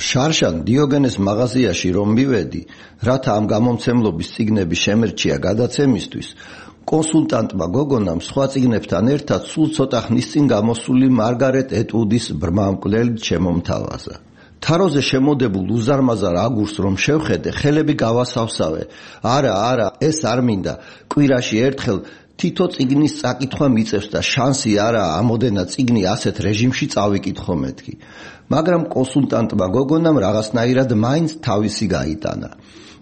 შარშან დიოგენეს მაღაზიაში რომ მივედი, რათა ამ გამომცემლობის წიგნები შემერჩია გადაცემისთვის, კონსულტანტმა გოგონამ სხვა წიგნებთან ერთად სულ ცოტა ხნის წინ გამოსული მარგარეტ ეტუდის ბრმამკვლელით შემომთავაზა. თაროზე შემოდებულ უზარმაზარ აგურს რომ შევხედე, ხელები გავასავსავე. არა, ეს არ მინდა. კვირაში ერთხელ თითო წიგნის წაკითხვა მიწევს და შანსი არაა ამოდენა წიგნი ასეთ რეჟიმში წავიკითხო მეთქი. მაგრამ კონსულტანტმა გოგონამ რაღაცნაირად მაინც თავისი გაიტანა.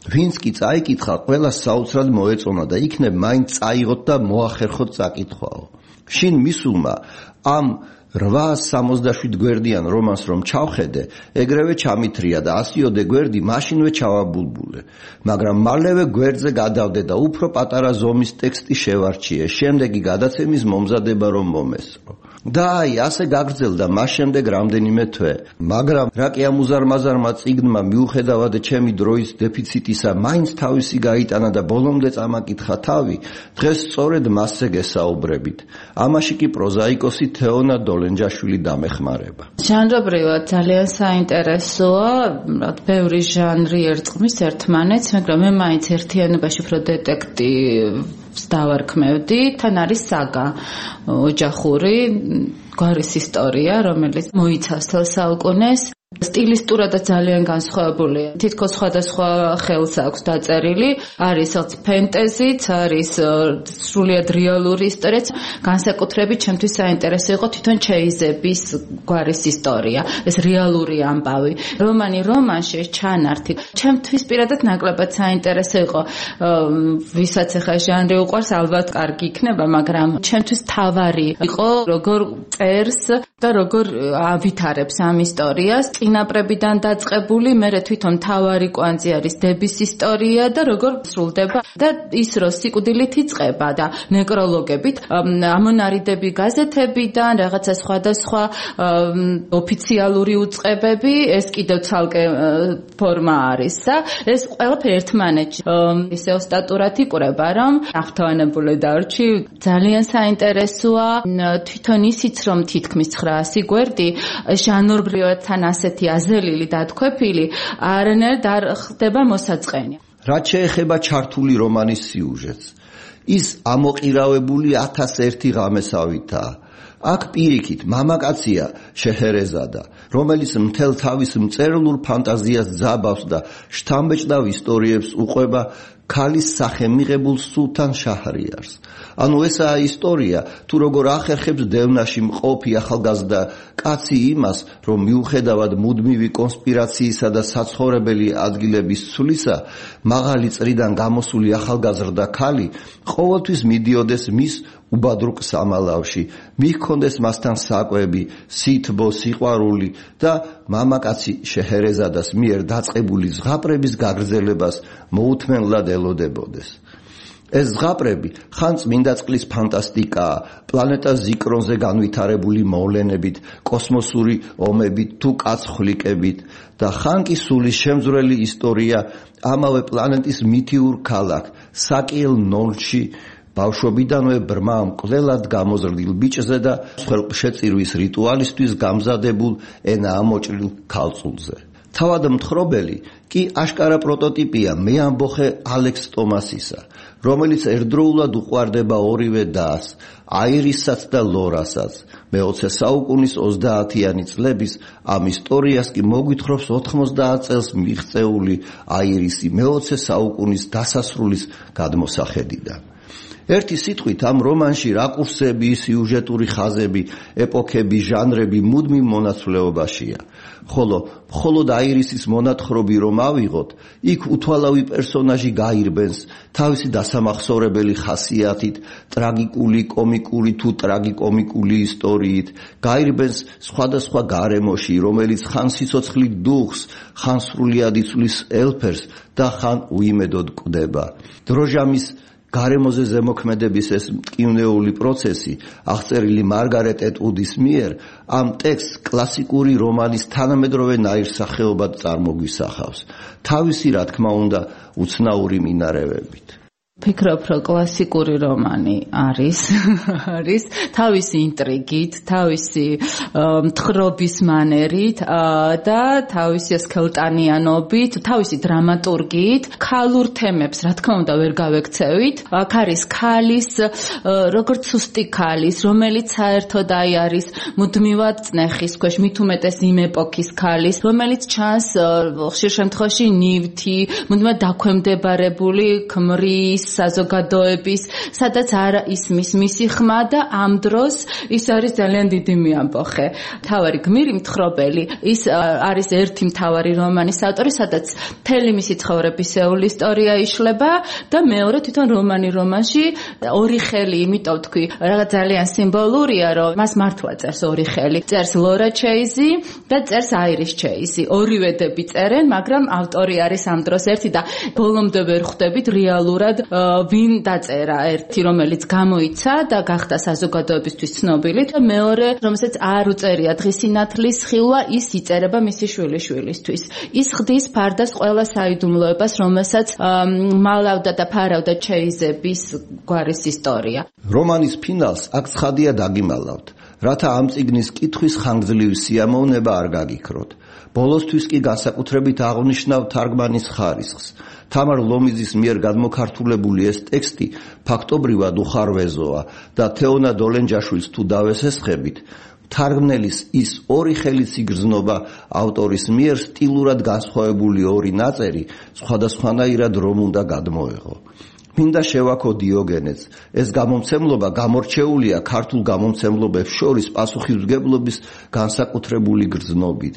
ვინც კი წაიკითხა, ყველას საოცრად მოეწონა და იქნებ მაინც წაიღოთ და მოახერხოთ წაკითხვაო. შინ მისულმა ამ 867 გვერდიან რომანს რომ ჩავხედე, ეგრევე ჩამithრია და 100-ოდე გვერდი მაშინვე ჩავაბულბულე. მაგრამ მალევე გვერდზე გადავდე და უფრო პატარა ზომის ტექსტი შევარჩიე, შემდეგი გადაცემის მომზადება რომ მომესწრო. და ასე გაგრძელდა მას შემდეგ რამდენიმე თვე. მაგრამ რა კი ამ უზარმაზარმა წიგნმა მიუხედავად ჩემი დროის დეფიციტისა მაინც თავისი გაიტანა და ბოლომდე წამაკითხა თავი, დღეს სწორედ მასზე გესაუბრებით. ამაში კი პროზაიკოსი თეონა დოლენჯაშვილი დამეხმარება. ჟანრობრივად ძალიან საინტერესოა, ბევრი ჟანრი ერწყმის ერთმანეთს, მაგრამ მე მაინც ერთიანობაში უფრო დეტექტივს დავარქმევდი, თან არის საგა ოჯახური, გვარის ისტორია, რომელიც მოიცავს თელ საუკუნეს. სტილისტურადაც ძალიან განსხვავებულია. თითქოს სხვადასხვა ხელს აქვს დაწერილი, არის ფენტეზიც, არის სრულიად რეალური ისტორიაც. განსაკუთრებით ჩემთვის საინტერესო იყო თვითონ ჩეიზების გვარის ისტორია, ეს რეალური ამბავი. რომანში ჩანართი. ჩემთვის პირადად ნაკლებად საინტერესო იყო, ვისაც ახლა ჟანრი უყვარს, ალბათ კარგი იქნება, მაგრამ ჩემთვის თავარი იყო როგორ წერს და როგორ ავითარებს ამ ისტორიას. წინაპრებიდან დაწყებული, მერე თვითონ თავარი კვანძი არის დების ისტორია და როგორ სრულდება და ის რო სიკვდილით იწყება და ნეკროლოგებით, ამონარიდები გაზეთებიდან, რაღაცა სხვადასხვა ოფიციალური უწყებები, ეს კიდევ ცალკე ფორმა არის და ეს ყველაფერი ერთმანეთში ისე ოსტატურად იკვრება, რომ აღთავანებული დარჩი. ძალიან საინტერესოა თვითონ ისიც, რომ თითქმის 900 გვერდი ჟანრობრივად თან ასეთი აზრელილი დათქვეფილი არანაირად არ ხდება მოსაწყენი. რაც შეეხება ჩართული რომანის სიუჟეტს, ის ამოყირავებული 1001 ღამესავითაა. აქ პირიქით მამაკაცია შეჰერეზადა, რომელიც მთელ თავის მწერლურ ფანტაზიას ძაბავს და შთამბეჭდავ ისტორიებს უყვება ქალის სახე მიღებულ სულთან შაჰრიარს. ანუ ესაა ისტორია, თუ როგორ ახერხებს დევნაში მყოფი ახალგაზრდა კაცი იმას, რომ მიუხედავად მუდმივი კონსპირაციისა და საცხოვრებელი ადგილების ცვლისა, მაღალი წრიდან გამოსული ახალგაზრდა ქალი ყოველთვის მიდიოდეს მის უბადრუკ სამალავში, მიჰქონდეს მასთან საკვები, სითბო, სიყვარული და მამაკაცი შეჰერეზადას მიერ დაწყებული ზღაპრების გაგრძელებას მოუთმენლად ელოდებოდეს. ეს ზღაპრები ხან წმინდა წყლის ფანტასტიკაა, პლანეტა ზიკრონზე განვითარებული მოვლენებით, კოსმოსური ომებით თუ კაცხვლიკებით და ხან კი სულის შემძვრელი ისტორია ამავე პლანეტის მითიურ ქალაქ საკიელ ნოლში ბავშვობიდანვე ბრმა მკვლელად გამოზრდილ ბიჭზე და ხელშეწირვის რიტუალისთვის გამზადებულ ენა ამოჭრილ ქალწულზე. თავად მთხრობელი კი აშკარა პროტოტიპია მეამბოხე ალექს ტომასისა, რომელიც ერთდროულად უყვარდება ორივე დას, აირისაც და ლორასაც. მე-20 საუკუნის 30-იანი წლების ამ ისტორიას კი მოგვითხრობს 90 წელს მიღწეული აირისი მე-20 საუკუნის დასასრულის გადმოსახედიდან. ერთი სიტყვით ამ რომანში რაკურსები, სიუჟეტური ხაზები, ეპოქები, ჟანრები მუდმივ მონაცვლეობაშია. ხოლო მხოლოდ აირისის მონათხრობი რომ ავიღოთ, იქ უთვალავი პერსონაჟი გაირბენს თავისი დასამახსოვრებელი ხასიათით, ტრაგიკული, კომიკური თუ ტრაგიკომიკული ისტორიით, გაირბენს სხვადასხვა გარემოში, რომელიც ხან სიცოცხლით დუხს, ხან სრულიად იცვლის ელფერს და ხან უიმედოდ კვდება. დროჟამის გარემოზე ზემოქმედების ეს მტკივნეული პროცესი, აღწერილი მარგარეტ ეტუდის მიერ, ამ ტექსტს კლასიკური რომანის თანამედროვე ნაირსახეობად წარმოგვისახავს, თავისი, რა თქმა უნდა, უცნაური მინარევებით. ფიქრობ, რომ კლასიკური რომანი არის თავისი ინტრიგით, თავისი მთხრობის მანერით და თავისი სქელტანიანობით, თავისი დრამატურგიით, ქალურ თემებს, რა თქმა უნდა, ვერ გავექცევით. აქ არის ქალის, როგორც სუსტი ქალის, რომელიც საერთოდ არის მუდმივად წნეხის ქვეშ, მით უმეტეს იმ ეპოქის ქალის, რომელიც ჩანს ხშირ შემთხვევაში ნივთი, მუდმივად დაქვემდებარებული ქმრის საზოგადოების, სადაც არ ისმის მისი ხმა და ამ დროს ის არის ძალიან დიდი მიამბოხე. მთავარი გმირი მთხრობელი, ის არის ერთი მთავარი რომანის ავტორი, სადაც მთელი მისი ცხოვრებისეული ისტორია იშლება და მეორე თვითონ რომანში ორი ხელი, იმიტომ თქვი, რაღაც ძალიან სიმბოლურია, რომ მას მართლა წერს ორი ხელი. წერს ლორა ჩეიზი და წერს აირის ჩეიზი. ორივედები წერენ, მაგრამ ავტორი არის ამ დროს ერთი და ბოლომდე ვერ ხვდებით რეალურად ვინ დაწერა, ერთი რომელიც გამოიცა და გახდა საზოგადოებისთვის ცნობილი და მეორე რომელსაც არ უწერია დღის სინათლის ხილვა, ის იწერება მისი შვილიშვილისთვის. ის ხდის ფარდას ყველა საიდუმლოებას, რომელსაც მალავდა და ფარავდა ჩეიზების გვარის ისტორია. რომანის ფინალს აქ ცხადია დაგიმალავთ, რათა ამ წიგნის კითხვის ხანგრძლივი სიამოვნება არ გაგიქროთ. ბოლოსთვის კი განსაკუთრებით აღნიშნავ თარგმანის ხარისხს. თამარ ლომიძის მიერ გადმოქართულებული ეს ტექსტი ფაქტობრივად უხარვეზოა და თეონა დოლენჯაშვილს თუ დავესესხებით, თარგმნელის ის ორი ხელით იგრძნობა ავტორის მიერ სტილურად განსხვავებული ორი ნაწერი სხვადასხვანაირად რომ უნდა გადმოეღო. მინდა შევაქო დიოგენეს, ეს გამომცემლობა გამორჩეულია ქართულ გამომცემლობებს შორის პასუხისმგებლობის განსაკუთრებული გრძნობით.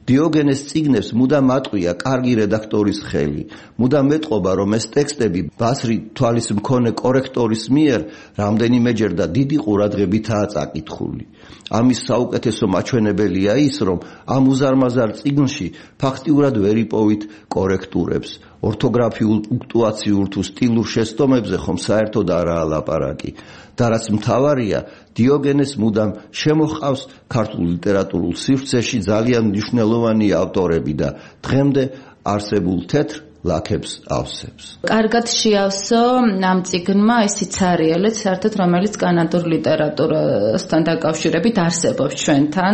დიოგენეს წიგნებს მუდამ ატყვია კარგი რედაქტორის ხელი, მუდამ მეტყობა, რომ ეს ტექსტები ბასრი თვალის მქონე კორექტორის მიერ რამდენიმეჯერ და დიდი ყურადღებითაა წაკითხული. ამის საუკეთესო მაჩვენებელია ის, რომ ამ უზარმაზარ წიგნში ფაქტიურად ვერ იპოვით კორექტურებს. ორთოგრაფიულ, პუნქტუაციურ თუ სტილურ შეცდომებზე ხომ საერთოდ არაა ლაპარაკი. და რაც მთავარია, დიოგენეს მუდამ შემოჰყავს ქართულ ლიტერატურულ სივრცეში ძალიან მნიშვნელოვანი ავტორები და დღემდე არსებულ თეთრ ლაქებს ავსებს. კარგად შეავსო ამ წიგნმა ისიც არიელეთ, საერთოდ რომელიც კანადურ ლიტერატურასთან დაკავშირებით არსებობს ჩვენთან.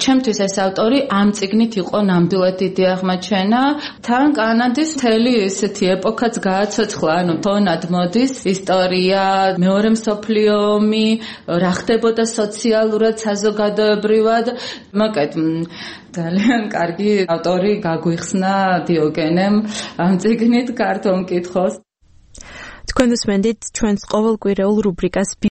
ჩემთვის ეს ავტორი ამ წიგნით იყო ნამდვილად დიდი აღმოჩენა. თან კანადის მთელი ესეთი ეპოქაც გააცოცხლა, ანუ თონად მოდის ისტორია, მეორე მსოფლიო ომი, რა ხდებოდა სოციალურად, საზოგადოებრივად. მოკეთ ძალიან კარგი ავტორი გაგვიხსნა დიოგენემ ამ წიგნით ქართულ მკითხოს. თქვენ უსმენთ ჩვენს ყოველკვირეულ რუბრიკას